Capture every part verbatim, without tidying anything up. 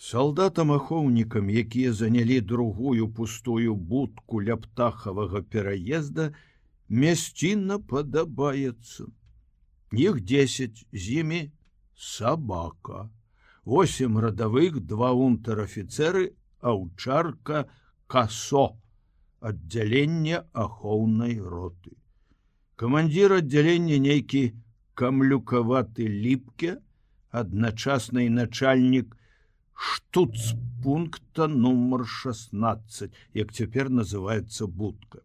Салдатам-ахоўнікам, якія занялі другую пустую будку ля птахавага пераезда, мясціна падабаецца. Іх дзесяць, з імі сабака. Восем радавых, два унтэр-афіцэры, аўчарка Касо, аддзялення ахоўнай роты. Камандзір аддзялення нейкі камлюкаваты ліпке, адначасна і начальнік штуцпункта нумар шестнадцать, як цяпер называецца будка.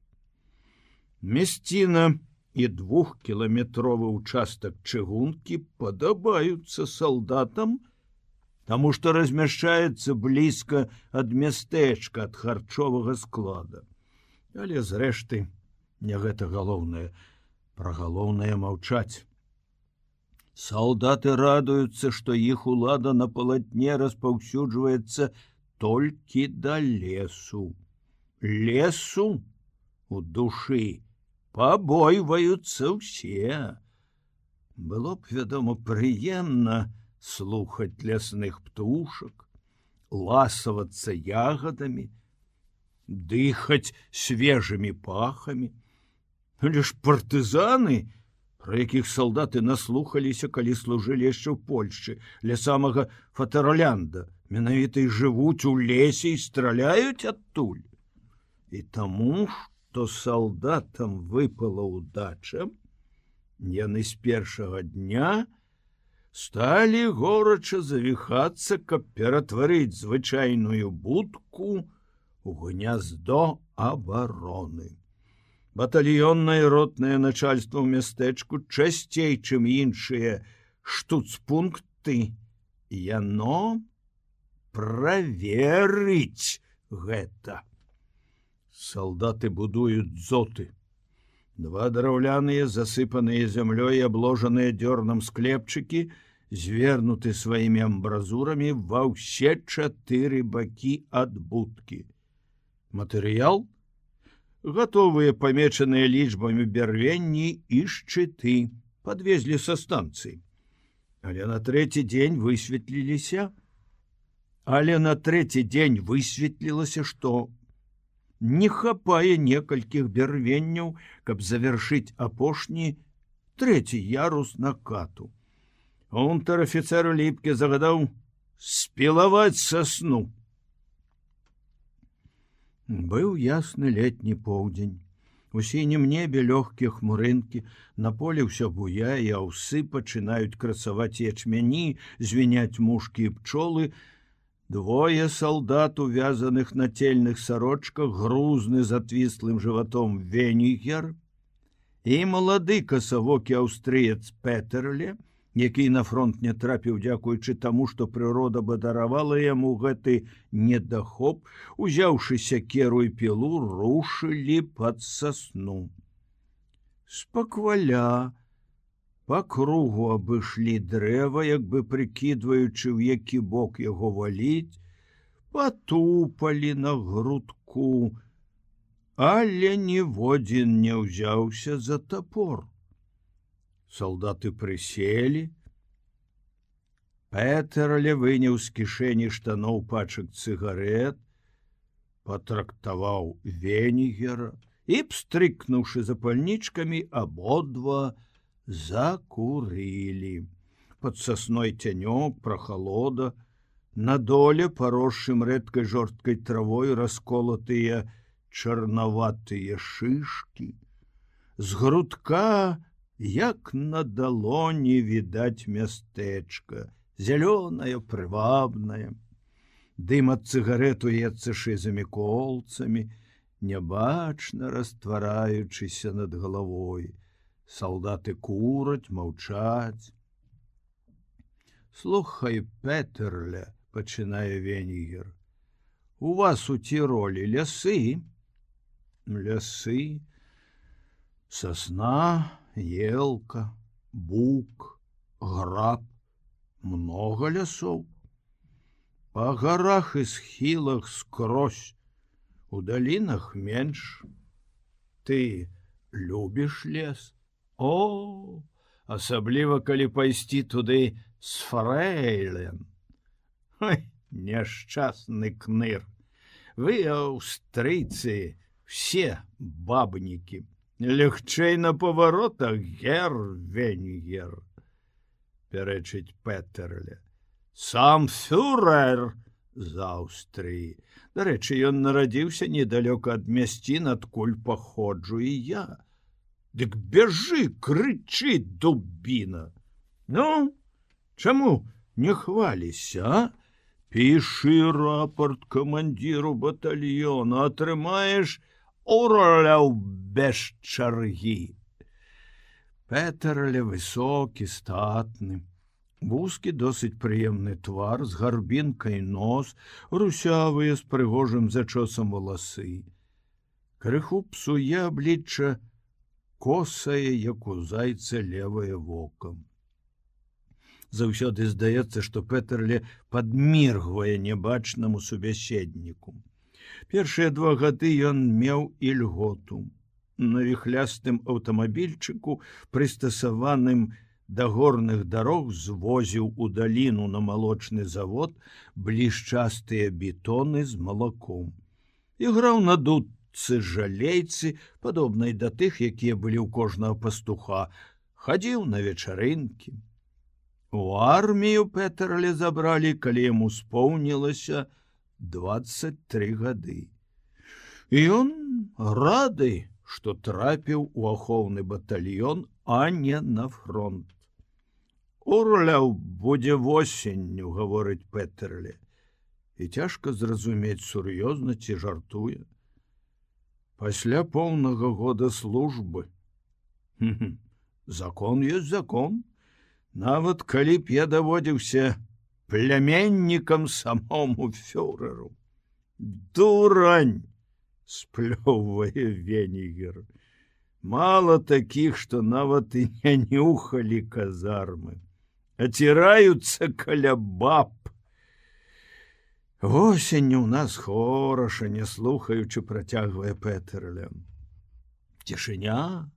Мясціна і двухкіламетровы участак чыгункі падабаюцца салдатам, таму што размяшчаецца блізка ад мястэчка, ад харчовага склада. Але зрэшты, не гэта галоўнае, пра галоўнае маўчаць. Салдаты радуюцца, што іх улада на палатне распаўсюджваецца толькі да лесу. Лесу у душы пабойваюцца ўсе. Было б, вядома, прыемна слухаць лясных птушак, ласавацца ягадамі, дыхаць свежымі пахамі. Але ж партызаны, про якіх салдаты наслухаліся, калі служылі яшчэ ў Польшчы, ля самага Фатерлянда, менавіта і жывуць у лесе і страляюць адтуль. І таму, што салдатам выпала ўдача, яны з першага дня сталі горача завіхацца, каб ператварыць звычайную будку у гняздо абароны. Батальённае ротнае начальство ў мястэчку часцей, чым іншыя штуцпункты, яно праверыць гэта. Салдаты будуюць дзоты. Два драўляныя, засыпаныя зямлёй, абложаныя дёрнам склепчыкі, звернуты сваімі амбразурамі ва ўсе чатыры бакі ад будкі. Матэрыял — гатовыя памечаныя лічбамі бярвенні і шчыты, падвезлі са станцыі. Але на трэці дзень высветліліся, але на трэці дзень высветлілася, што не хапае некалькіх бярвенняў, каб завяршыць апошні трэці ярус накату. Унтэр-афіцэр Ліпке загадаў спілаваць сасну. Быў ясны летні поўдзень. У сінім небе лёгкія хмурынкі, на поле ўсё буяе, аўсы пачынаюць красаваць ячмяні, звіняць мушкі і пчолы. Двое салдат, увязаных на цельных сарочках, грузны з адвіслым жыватом Венігер і малады касавокі аўстрыец Петерле, які на фронт не трапіў дзякуючы таму, што прырода бадаравала яму гэты недахоп, узяўшы сякеру і пілу, рушылі пад сасну. Спакваля па кругу абышлі дрэва, як бы прыкідваючы, ў які бок яго валіць, патупалі на грудку, але ніводзін не ўзяўся за тапор. Салдаты прыселі. Петерле выняў з кішэні штаноў пачак цыгарэт, патрактаваў Венігера і, пстрыкнуўшы запальнічкамі, абодва закурылі. Пад сасной цянёк, прахалода, на доле, паросшым рэдкай жорсткай травой, расколатыя чарнаватыя шышкі. З грудка, як на далоні, відаць мястэчка, зялёнае, прывабнае. Дым ад цыгарету ецца шызымі колцамі, нябачна раствараючыся над галавой. Салдаты кураць, маўчаць. Слухай, Петерле, пачынае Венігер, у вас у Тіролі лясы? Лясы, сасна, елка, бук, граб, много лясоў. Па гарах і схілах скрозь, у далінах менш. Ты любіш лес? О, асабліва, калі пайсці туды з фрэйлен. Ой, няшчасны кныр. Вы, аўстрыйцы, все бабнікі. Лягчэй на паваротах, гер Венгер, пярэчыць Петерле. Сам фюрер з Аўстрыі. Дарэчы, ён нарадзіўся недалёка ад мясцін, адкуль паходжу і я. Дык бяжы, крычы, дубіна. Ну, чаму не хваліся, а? Пішы рапорт камандзіру батальёна, атрымаеш орляў без чаргі. Петерле высокі, статны. Вузкі, досыць прыемны твар, з гарбінкай нос, русявыя з прыгожым зачосам валасы. Крыху псуе аблічча косае, як у зайца левае вока. Заўсёды здаецца, што Петерле падміргвае нябачнаму субяседніку. Першыя два гады ён меў ільготу. На віхлястым аўтамабільчыку, прыстасаваным да горных дарог, звозіў у даліну на малочны завод блішчастыя бетоны з малаком. Іграў на дудцы жалейцы, падобнай да тых, якія былі ў кожнага пастуха, хадзіў на вечарынкі. У армію Петерле забралі, калі яму споўнілася дваццаць тры гады. І ён рады, што трапіў у ахоўны батальён, а не на фронт. Орляў будзе восенню, гаворыць Петерле. І цяжка зразумець, сур'ёзна ці жартуе. Пасля поўнага года службы. Закон ёсць закон. Нават калі б я даводзіўся пляменнікам самому фюреру. Дурань, сплёўвае Венгер. Мало такіх, што нават і не нюхалі казармы. Аціраюцца каля баб. Восенню ў нас хораша, не слухаючы, працягвае Петерле. Цішыня,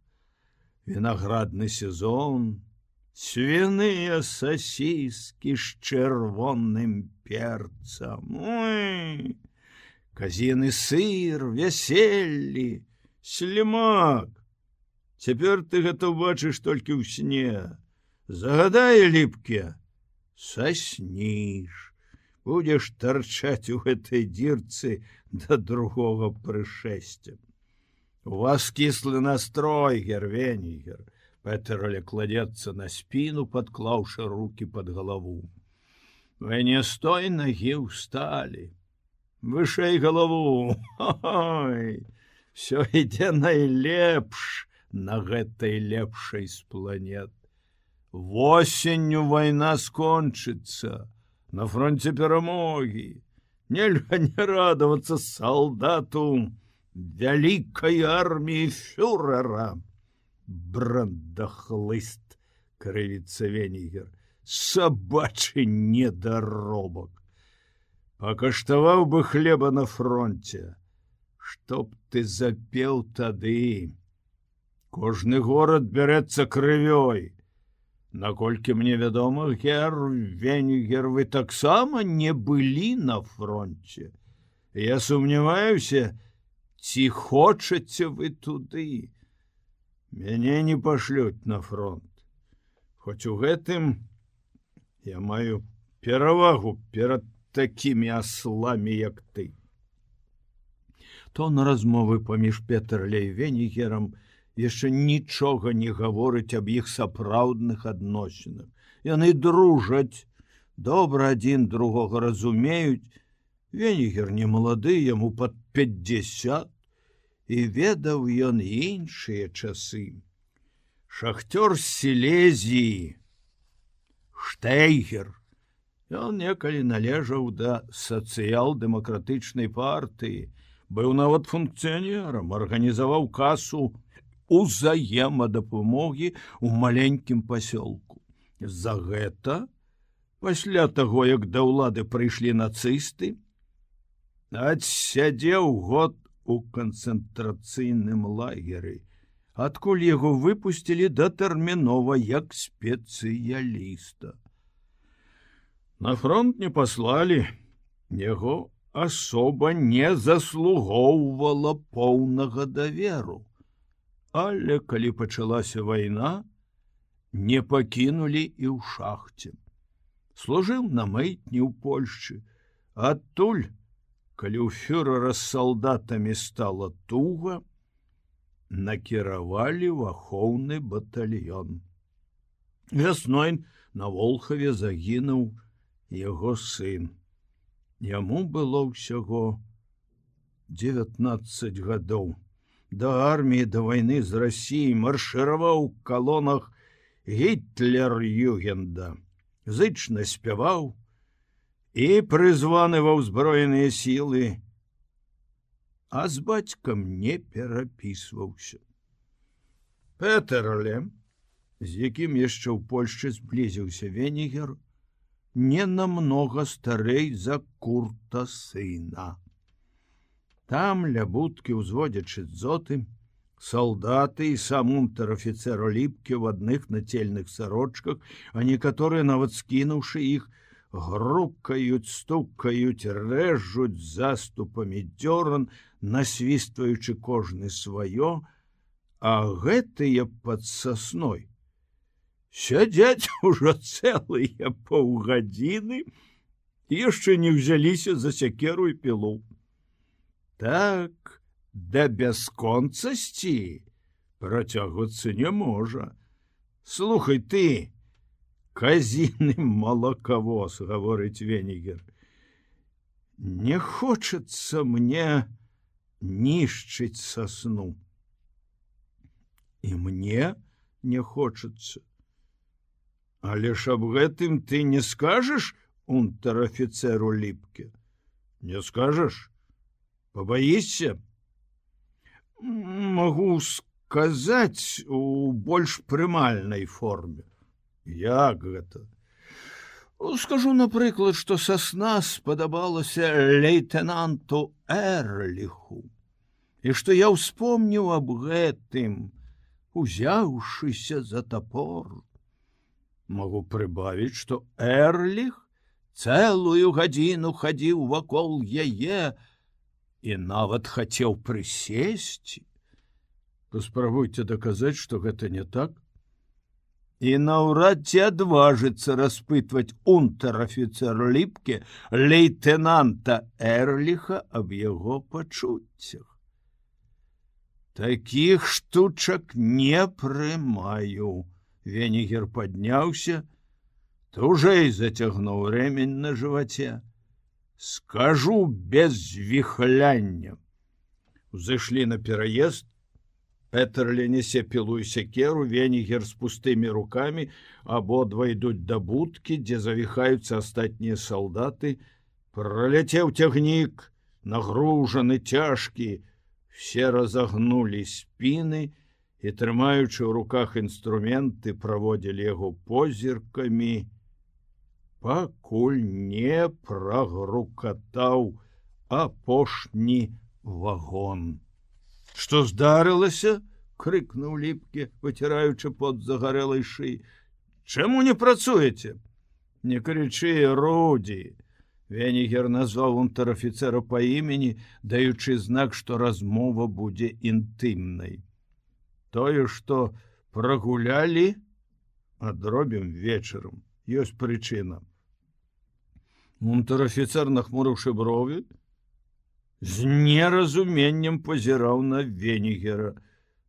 вінаградны сезон, свіныя сасіскі з чырвоным перцам. Ой, казіны сыр, вяселлі, слімак. Цяпер ты гэта бачыш толькі ў сне. Загадае ліпке, сасніш. Будзеш тарчаць у гэтай дзірцы да другога прышэсця. У вас кіслы настрой, гер Венгер. Петерле кладецца на спіну, падклаўшы рукі пад галаву. Вы не з той нагі ўсталі. Вышэй галаву. Ой, всё ідзе найлепш на гэтай лепшай з планет. Восенню вайна скончыцца, на фронте перамогі. Нельга не радавацца салдату вялікай арміі фюрера. Брандахлыст, крывіцца Венгер, сабачы недаробак. Пакаштаваў бы хлеба на фронте. Што б ты запеў тады? Кожны горад бярэцца крывёй. Наколькі мне вядома, гер Венгер, вы таксама не былі на фронте. Я сумняваюся, ці хочаце вы туды. Мяне не пашлюць на фронт. Хоць у гэтым я маю перавагу перад такімі асламі, як ты. Тон размовы паміж Петерле і Венгерам яшчэ нічога не гаворыць аб іх сапраўдных адносінах. Яны дружаць, добра адзін другога разумеюць. Венгер не малады, яму пад пятьдесят, і ведаў ён іншыя часы. Шахтёр з Сілезіі, Штейгер, ён некалі належаў да сацыял-дэмакратычнай партыі, быў нават функцыянерам, арганізаваў касу узаемадапамогі ў маленькім пасёлку. За гэта, пасля таго, як да ўлады прыйшлі нацысты, адсядзеў год у канцэнтрацыйным лагеры, адкуль яго выпусцілі датэрмінова як спецыяліста. На фронт не паслалі, Яго асоба не заслугоўвала поўнага даверу. Але калі пачалася вайна, не пакінулі і ў шахце. Служыў на мытні ў Польшчы, адтуль, калі ў фюрэра з салдатамі стала туга, накіравалі ў ахоўны батальён. Вясной на Волхаве загінуў яго сын. Яму было ўсяго дзевятнаццаць гадоў. Да арміі да вайны з Расіяй маршыраваў у калонах Гітлер-Югенда, зычна спяваў і прызваны ва ўзброеныя сілы, а з бацькам не перапісваўся. Петерле, з якім яшчэ ў Польшчы зблізіўся Венігер, не намнога старэй за Курта сына. Там ля будкі ўзводзячы дзоты, салдаты і сам унтэр-афіцэр Ліпке ў адных нацельных сарочках, а некаторыя нават скінуўшы іх, грукаюць, стукаюць, рэжуць заступамі дзёран, насвістваючы кожны сваё, а гэтыя пад сасной сядзяць ужо цэлыя паўгадзіны і яшчэ не ўзяліся за сякеру і пілу. Так, да бясконцасці працягвацца не можа. Слухай ты, казіны малакавоз, гаворыць Венігер, не хочацца мне нішчыць сасну. І мне не хочацца. Але ж аб гэтым ты не скажаш унтэр-афіцэру Ліпке? Не скажаш? Побаішся? Магу сказаць у больш прымальнай форме. Як гэта? Скажу, напрыклад, што сасна спадабалася лейтенанту Эрліху, і што я ўспомніў аб гэтым, узяўшыся за топор. Магу прыбавіць, што Эрліх цэлую гадзіну хадзіў вакол яе і нават хацеў прысесці. Паспрабуйце даказаць, што гэта не так. І наўрад ці адважыцца распытваць унтэр-афіцэр Ліпке лейтенанта Эрліха аб яго пачуццях. Такіх штучак не прымаю. Венігер падняўся, тужэй зацягнуў рэмень на жываце. Скажу без віхляння. Узышлі на пераезд, Петерле несе пілу і сякеру, Венігер з пустымі рукамі, абодва ідуць да будкі, дзе завіхаюцца астатнія салдаты. Праляцеў цягнік, нагружаны, цяжкі, все разагнулі спіны і, трымаючы ў руках інструменты, праводзілі яго позіркамі, пакуль не прагрукатаў апошні вагон. Што здарылася? Крыкнуў Ліпке, выціраючы пот загарэлай шыі. Чаму не працуеце? Не крычы, Руді. Венігер назваў унтэр-афіцэра па імені, даючы знак, што размова будзе інтымнай. Тое, што прагулялі, адробім вечарам. Ёсць прычына. Унтэр-афіцэр, нахмурыўшы брові, з неразуменнем пазіраў на Венігера.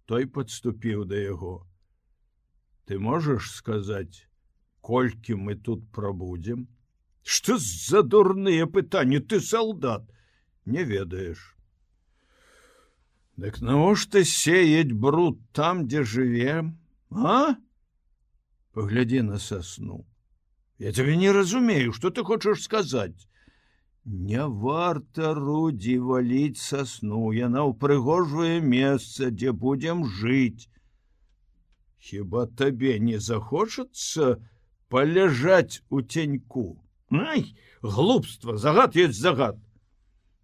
Той падступіў да яго. Ты можаш сказаць, колькі мы тут прабудзем? Што за дурныя пытанні, ты салдат? Не ведаеш. Дык навошта сеять бруд там, дзе жывем, а? Паглядзі на сасну. Я тебе не разумею, што ты хочаш сказаць. Не варта, Руді, валіць сасну, яна ўпрыгожвае месца, дзе будзем жыць. Хіба табе не захочацца паляжаць у ценьку? Ай, глупства, загад ёсць загад.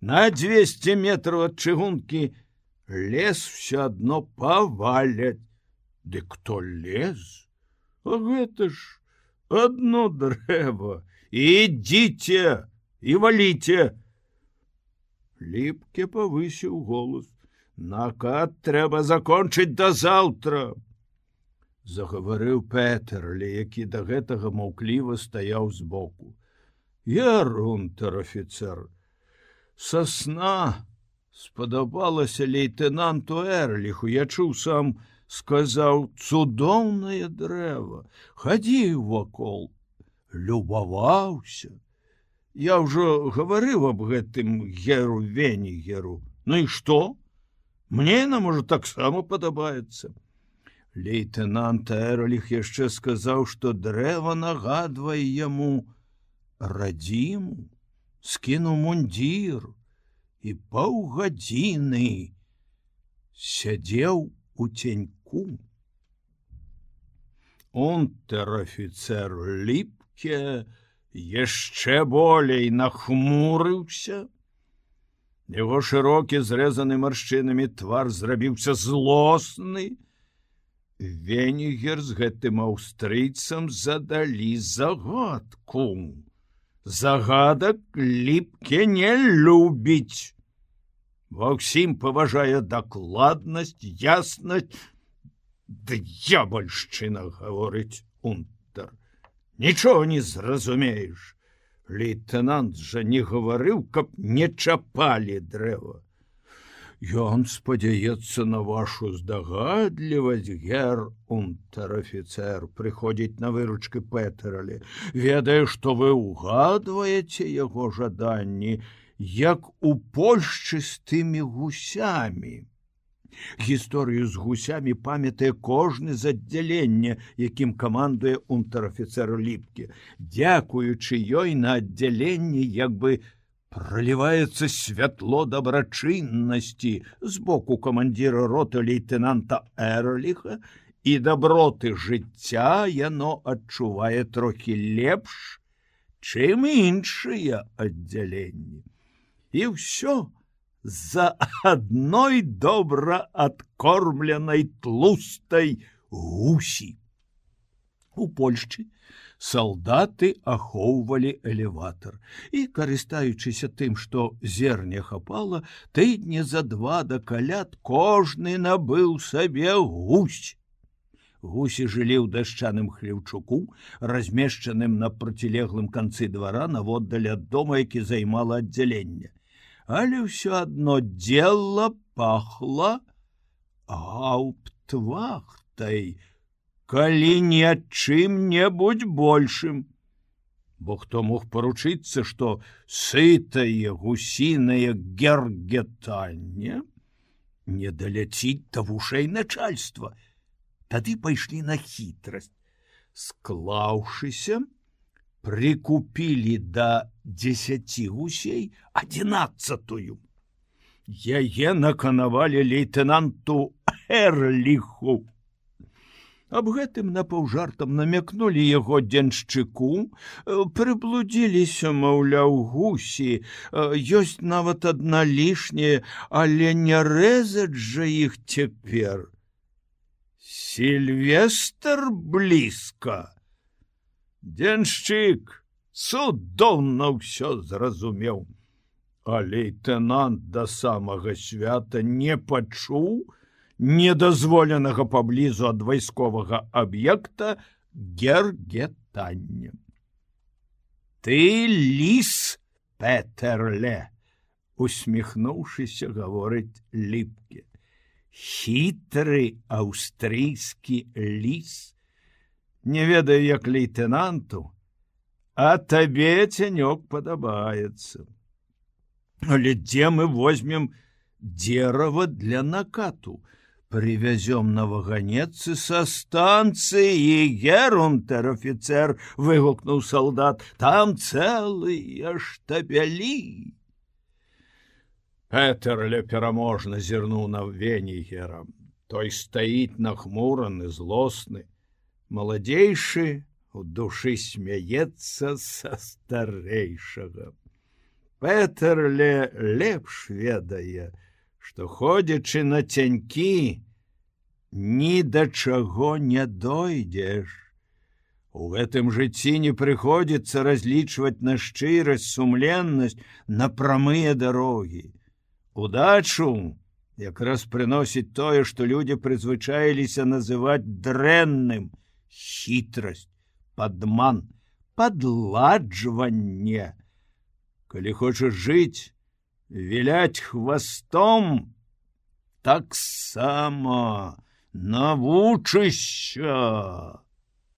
На дзвесце метраў ад чыгункі лес все адно паваляць. Ды кто лез? А гэта ж адно дрэва. Ідзіце, і валіце. Ліпке павысіў голас. Накат трэба закончыць да заўтра. Загаварыў Петерлі, які да гэтага маўкліва стаяў збоку. Гер унтэр-афіцэр, са сна спадабалася лейтэнанту Эрліху, я чуў сам, сказаў, цудоўнае дрэва, хадзіў вакол, любаваўся. Я ўжо гаварыў аб гэтым геру Венігеру. Ну і што? Мне яна, можа, таксама падабаецца. Лейтэнант Эрліх яшчэ сказаў, што дрэва нагадвае яму радзіму, скінуў мундзір і паўгадзіны сядзеў у ценьку. Унтэр-афіцэр Ліпке яшчэ болей нахмурыўся. Яго шырокі, зрэзаны маршчынамі твар зрабіўся злосны. Венігер з гэтым аўстрыйцам задалі загадку. Загадак Ліпке не любіць. Ва ўсім паважае дакладнасць, яснасць. Д'ябальшчына, гаворыць унтэр. Нічога не зразумееш. Лейтэнант жа не гаварыў, каб не чапалі дрэва. Ён спадзяецца на вашу здагадлівасць, гер унтэр-афіцэр, прыходзіць на выручкі Петерлі. Ведае, што вы ўгадваеце яго жаданні, як у Польшчы з тымі гусямі. Гісторыю з гусямі памятае кожны з аддзялення, якім камандуе унтэр-афіцэр Ліпке. Дзякуючы ёй на аддзяленні як бы проліваецца святло дабрачыннасці з боку камандзіра роты лейтэнанта Эрліха, і даброты жыцця яно адчувае трохі лепш, чым іншыя аддзяленні. І ўсё за адной добра адкормленай тлустай гусі. У Польшчы салдаты ахоўвалі элеватар і, карыстаючыся тым, што зерня хапала, тыдні за два да каляд кожны набыў сабе гусь. Гусі жылі ў дашчаным хлеўчуку, размешчаным на процілеглым канцы двара наводдаль ад дома, які займала аддзяленне. Але ўсё адно дзела пахла гауптвахтай, калі не ад чым-небудзь большым. Бо хто мог паручыцца, што сытае гусінае гергетанне не даляціць да вушэй начальства. Тады пайшлі на хітрасць. Склаўшыся, прикупілі да дзесяці гусей адзінаццатую. Яе наканавалі лейтэнанту Эрліху. Аб гэтым напаўжартам намякнулі яго дзяншчыку, прыблудзіліся, маўляў, гусі, ёсць нават адна лішняя, але не рэзаць жа іх цяпер. Сільвестр блізка. Дзяншчык цудоўна ўсё зразумеў, а лейтэнант да самага свята не пачуў недазволенага паблізу ад вайсковага аб'екта гергетання. Ты ліс, Петерле, усміхнуўшыся, гаворыць Ліпке. Хітры аўстрыйскі ліс. Не ведаю, як лейтэнанту, а табе цянёк падабаецца. Але дзе мы возьмем дзерава для накату? Привязем на ваганецы со станцыі, гер унтэр-афіцэр, выгукнуў салдат, там цэлыя штабелі. Петерле пераможна зірнуў на Венігера. Той стаіць нахмураны, злосны. Маладзейшы у душы смяецца са старэйшага. Петерле лепш ведае, што, ходзячы на цянькі, ні да чаго не дойдзеш. У гэтым жыцці не прыходзіцца разлічваць на шчырасць, сумленнасць, на прамыя дарогі. Удачу якраз прыносіць тое, што людзі прызвычаіліся называць дрэнным: хітрасць, падман, падладжванне. Калі хочаш жыць, віляць хвастом, таксама навучышся.